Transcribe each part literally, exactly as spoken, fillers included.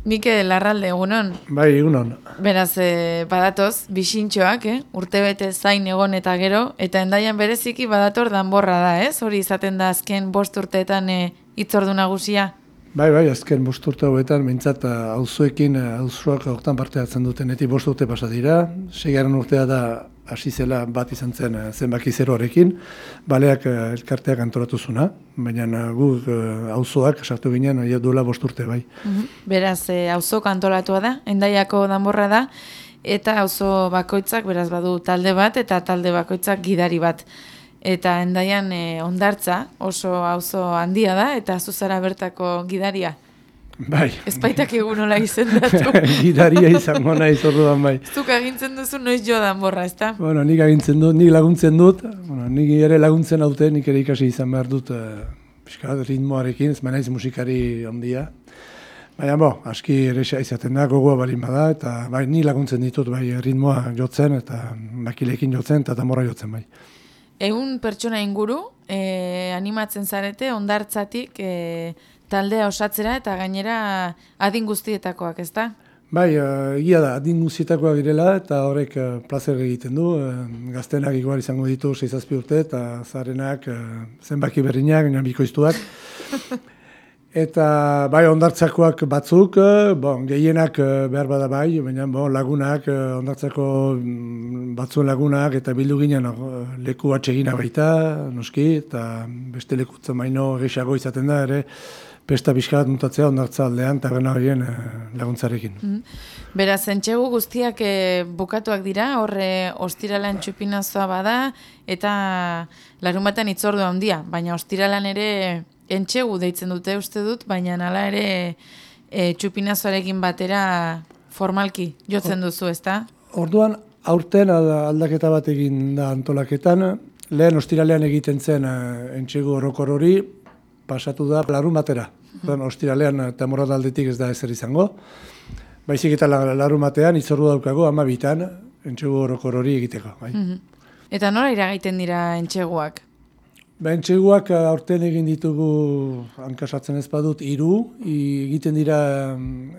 Mikel Larralde, egunon. Bai, egunon. Beraz, eh, badatoz, bixintxoak, eh? Urtebete zain egon eta gero, eta Hendaian bereziki badator danborra da, ez? Hori izaten da azken bost urteetan eh, hitzordu nagusia. Bai, bai, azken bost urte hauetan, behintzat auzoekin, auzoak hortan parte hartzen dutenetik bost urte pasa dira. Seigarren urtea da hasi zela bat izan zen zenbaki zeroarekin, baleak elkarteak antolatu zuna, baina guk auzoak sartu ginen duela bost urte bai. Uhum. Beraz, eh, auzok antolatua da, Hendaiako danborra da, eta auzo bakoitzak beraz badu talde bat, eta talde bakoitzak gidari bat. Eta Hendaian eh, Hondartza oso auzo handia da, eta zuzara bertako gidaria. Bai. Ez baitak egun nola izendatu. Gidaria izango naiz orduan bai. Zuk agintzen duzu noiz jo danborra, ezta? Bueno, nik agintzen dut, nik laguntzen dut, bueno, nik ere laguntzen haute, nik ere ikasi izan behar dut uh, piskat, ritmoarekin, ez naiz musikari handia. Baina, bo, aski ere izaten da, gogoa balin bada, eta bai, ni laguntzen ditut bai ritmoa jotzen, eta makilekin jotzen, eta danborra jotzen bai. Egun pertsona inguru, eh, animatzen zarete, Hondartzatik eh, taldea osatzera eta gainera adin guztietakoak, ezta? Bai, egia da, adin guztietakoak direla eta horrek uh, plazer egiten du. Uh, gaztenak igual izango ditu sei zazpi urte eta zarenak uh, zenbaki berriak, baina bikoiztuak. Eta bai, Hondartzakoak batzuk, uh, bon, gehienak uh, behar bada bai, baina bon, lagunak, uh, Hondartzako batzuen lagunak eta bildu ginen uh, leku atsegina baita, noski, eta beste lekutzen baino gehiago izaten da ere, pesta pixka bat mutatzea Hondartza aldean eta gana horien eh, laguntzarekin. Mm. Beraz, entxegu guztiak eh, bukatuak dira, horre ostiralan txupinazoa bada, eta larunbatean hitzordu handia, baina ostiralan ere entxegu deitzen dute uste dut, baina hala ere e, txupinazoarekin batera formalki jotzen duzu, ezta? Orduan, aurten aldaketa bat egin da antolaketan, lehen ostiralean egiten zen eh, entxegu orokor hori, pasatu da larun batera. Mm. Ostiralean Tamorrada aldetik ez da ezer izango. Baizik eta larun batean hitzordu daukago ama bitan entxegu orokor hori egiteko. Bai. Mm-hmm. Eta nola iragaiten dira entxeguak? Ba, entxeguak aurten egin ditugu, hankasatzen ez badut, hiru, egiten dira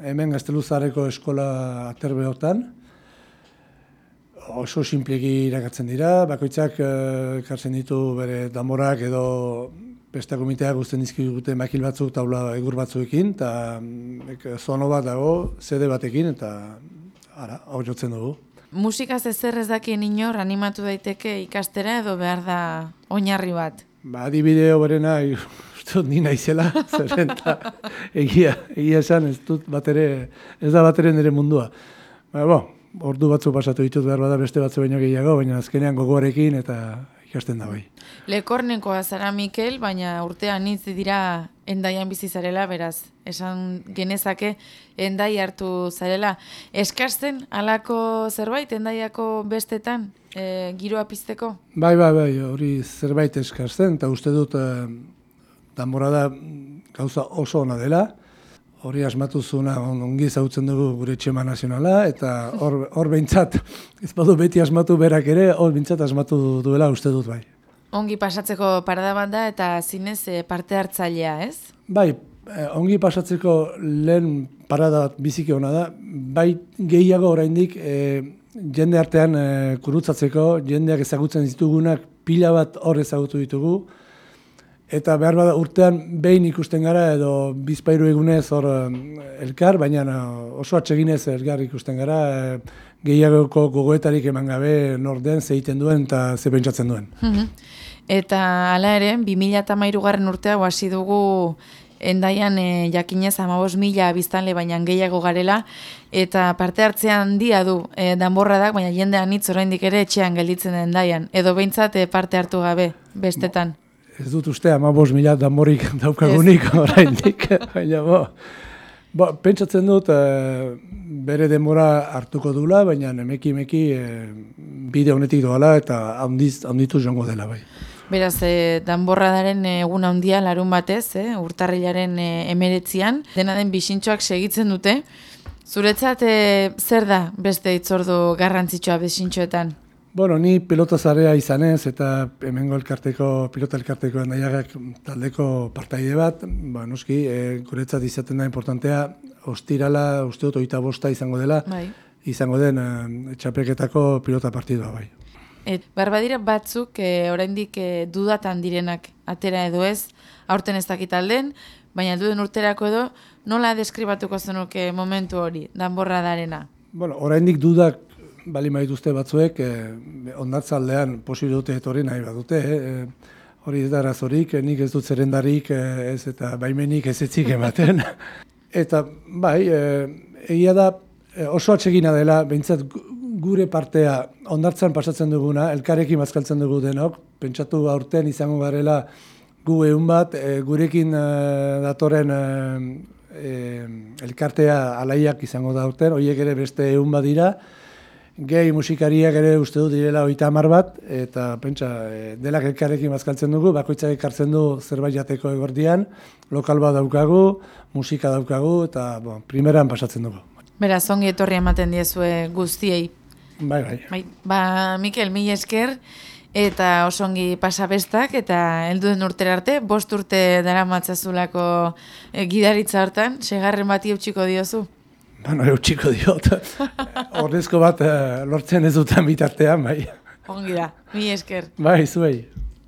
hemen Gazteluzarreko eskola aterbeotan. Oso sinpleki irakatzen dira, bakoitzak ekartzen ditu bere danborak edo Pesta komiteak guztien dizkigute makil batzuk, taula egur batzuekin, eta zono bat dago, zede batekin, eta ara, hau jotzen dugu. Musikaz ezer ez dakien inor animatu daiteke ikastera edo behar da oinarri bat? Ba, adibideo berena, uste dut ni naizela, zeren eta egia, egia esan, ez dut batere, ez da batere nire mundua. Ba, bo, ordu batzu pasatu ditut behar bada beste batzu baino gehiago, baina azkenean gogoarekin eta ikasten da bai. Lekornekoa zara Mikel, baina urtean hitz dira Hendaian bizi zarela, beraz, esan genezake Hendai hartu zarela. Eskasten halako zerbait Hendaiako bestetan e, giroa pizteko? Bai, bai, bai, hori zerbait eskasten, eta uste dut e, danborrada gauza oso ona dela. Hori asmatu zuna ongi zautzen dugu gure txema nazionala, eta hor, hor behintzat, ez badu beti asmatu berak ere, hor behintzat asmatu duela uste dut bai. Ongi pasatzeko parada bat da eta zinez parte hartzailea, ez? Bai, ongi pasatzeko lehen parada bat biziki ona da, bai gehiago oraindik e, jende artean e, kurutzatzeko, jendeak ezagutzen ditugunak pila bat hor ezagutu ditugu, eta behar bada urtean behin ikusten gara edo bizpairu egunez hor elkar, baina oso atseginez elkar ikusten gara, e, gehiagoko gogoetarik eman gabe norden zeiten duen eta ze pentsatzen duen. Mm-hmm. Eta hala ere, bi mila hamairugarren urtea hasi dugu Hendaian e, jakinez hamabost mila biztanle baina gehiago garela, eta parte hartzea handia du e, danborradak, baina jendean hitz oraindik ere etxean gelditzen den Hendaian, edo behintzat e, parte hartu gabe bestetan. Bo, ez dut uste hamabost mila danborik daukagunik oraindik, baina bo. Bo, pentsatzen dut e, bere denbora hartuko dula, baina emeki-emeki e, bide honetik doala eta handiz, handitu joango dela bai. Beraz, e, danborradaren egun handia larun batez, e, urtarrilaren e, emeretzian, dena den bixintxoak segitzen dute. Zuretzat, e, zer da beste hitzordu garrantzitsua bixintxoetan? Bueno, ni pelotazarea izanez eta hemengo elkarteko, pilota elkarteko Endaiagak taldeko partaide bat, ba, noski, e, guretzat izaten da importantea, ostirala, uste dut, hogeita bosta izango dela, bai. izango den e, txapelketako pilota partidua, bai. Et, barbadira batzuk e, oraindik e, dudatan direnak atera edo ez, aurten ez dakit alden, baina duden urterako edo, nola deskribatuko zenuke momentu hori, danborra darena? Bueno, oraindik dudak bali maituzte batzuek, eh, ondatzaldean posible dute etorri nahi badute, eh, hori ez da arazorik, nik ez dut zerrendarik, eh, ez eta baimenik ez etzik ematen. Eta bai, eh, egia da oso atsegina dela, behintzat gure partea ondartzan pasatzen duguna, elkarrekin bazkaltzen dugu denok, pentsatu aurten izango garela gu egun bat, e, gurekin e, datorren e, e, elkartea alaiak izango da aurten, horiek ere beste egun bat dira, gehi musikariak ere uste dut direla oita hamar bat, eta pentsa, e, delak elkarrekin bazkaltzen dugu, bakoitzak ekartzen du zerbait jateko egordian, lokal bat daukagu, musika daukagu, eta bon, primeran pasatzen dugu. Beraz, ongi etorri ematen diezue guztiei. Bai, bai. Bai, ba, Mikel, mila esker, eta oso ongi pasabestak, eta helduen urtera arte, bost urte dara matzazulako e, gidaritza hortan, segarren bati eutxiko diozu. Bueno, eutxiko diot. Ordezko bat e, lortzen ez dutan bitartean, bai. Ongi da, mila esker. Bai, zuei.